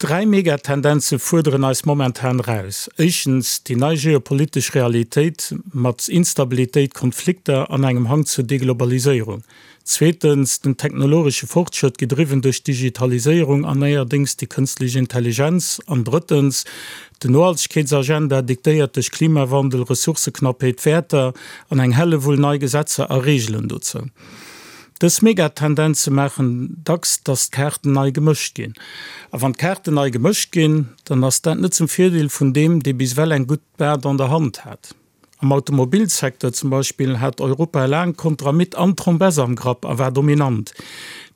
Dräi Megatendenze fuerderen eis momentan eraus, éischtens déi nei geopolitesch Realitéit mat Instabilitéit, Konflikter an engem Hang zur Deglobaliséierung, zweetens den technologesche Fortschrëtt, gedriwwen duerch d'Digitaliséierung an neierdéngs déi kënstlech Intelligenz, an drëttens den Nohaltegkeetsagenda, diktéiert duerch Klimawandel, Ressourceknappheet, Wäerter an eng Hellewull nei Gesetzer a Reegelen dozou. Dës Megatendenze maachen dacks, dass d'Kaarten nei gemëscht ginn. A wann d'Kaarten nei gemëscht ginn, dann ass dat net zum Virdeel vun deem, dee bis ewell eng gutt Baart an der Hand hat. Am Automobilsecteur zum Beispill hat Europa laang Kontramit an Trombess am Grapp a war dominant.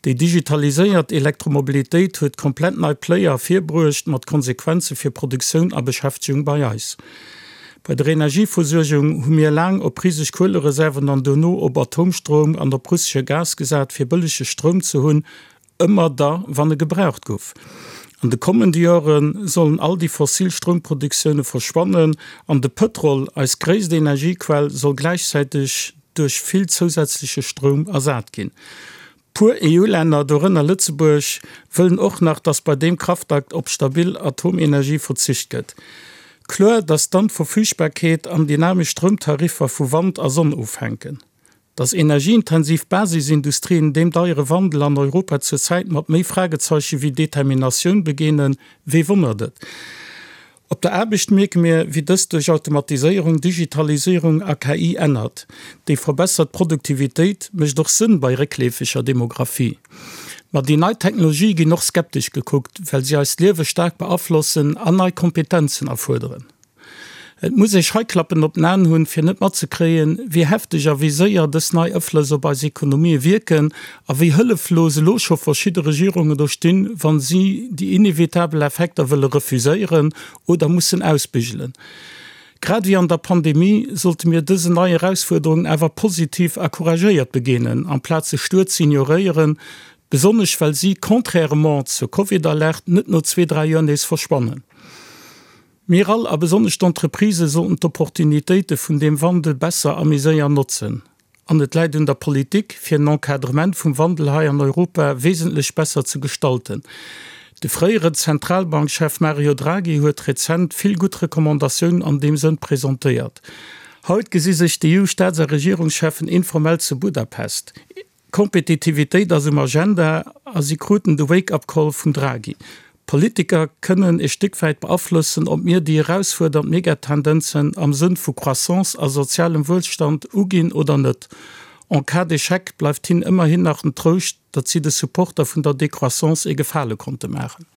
Déi digitaliséiert Elektromobilitéit huet komplett nei Player ervirbruecht, mat Konsequenze fir Produktioun a Beschäftegung bei eis. Bei der Energieversuergung hu mir laang op riseg Kuelereserven an dono op Atomstroum an op russesche Gas gesat, fir bëllege Stroum ze hunn, ëmmer da wann e gebraucht gouf. An de kommende Jore sollen all déi fossil Stroumproduktioune verschwannen an de Pëtrol, eis gréisst Energiequell, soll gläichzäiteg duerch vill zousätzleche Stroum ersat ginn. Puer EU-Länner, dorënner Lëtzebuerg, wëllen och nach, datt bei deem Kraftakt op stabil Atomenergie verzicht gëtt. Kloer, datt dann d'Verfügbarkeet an dynamesch Stroumtariffer vu Wand a Sonn ofhänken. Datt energieintensiv Basisindustrien deem deiere Wandel an Europa zur Zäit mat méi Fragezeiche wéi Determinatioun begeenen, wee wonnert et? Op der Aarbecht mierke mir, wéi dëst duerch Automatiséierung, Digitalisierung a KI ännert. Déi verbessert Produktivitéit mécht och Sënn bei réckleefeger Demografie. Ma déi nei Technologië ginn och skeptesch gekuckt, well si eist Liewe staark beaflossen an nei Kompetenzen erfuerderen. Et muss ee Scheiklappen op den Aen hunn, fir net matzekréien, wéi hefteg a wéi séier dës nei Aflëss op eis Ekonomië wierken a wéi hëlleflos elo scho verschidde Regierungen do stinn, wa si déi inevitabel Effekter wëlle refuséieren oder mussen ausbügelen. Grad ewéi an der Pandemie sollte mir dësen nei Erausfuerderungen awer positiv a couragéiert begeenen, amplaz se stuer ze ignoréieren, besonnesch well si, contrairement zur Covid-Alerte, net no zwee, dräi Joer nees verschwannen. Mir all, a besonnesch d'Entreprisë sollten d'Opportunitéite vun deem Wandel besser a méi séier notzen. An et läit un der Politik, fir en Encadrement vum Wandel hei an Europa wesentlech besser ze gestalten. De fréiere Zentralbankchef Mario Draghi huet rezent vill gutt Recommandatiounen an deem Sënn presentéiert. Haut gesi sech d'EU-Staats a Regierungscheffen informell zu Budapest. Kompetitivitéit ass um Agenda a si kruten de Wake-up-Call vum Draghi. Politiker kënnen e Stéck wäit beaflossen, ob mir déi erausfuerdernd Megatendenzen am Sënn vu Croissance a sozialem Wuelstand uginn oder net. En cas d'échec bleift hinnen ëmmerhin nach den Trouscht, datt si de Supporter vun der Décroissance ee Gefale konnte maachen.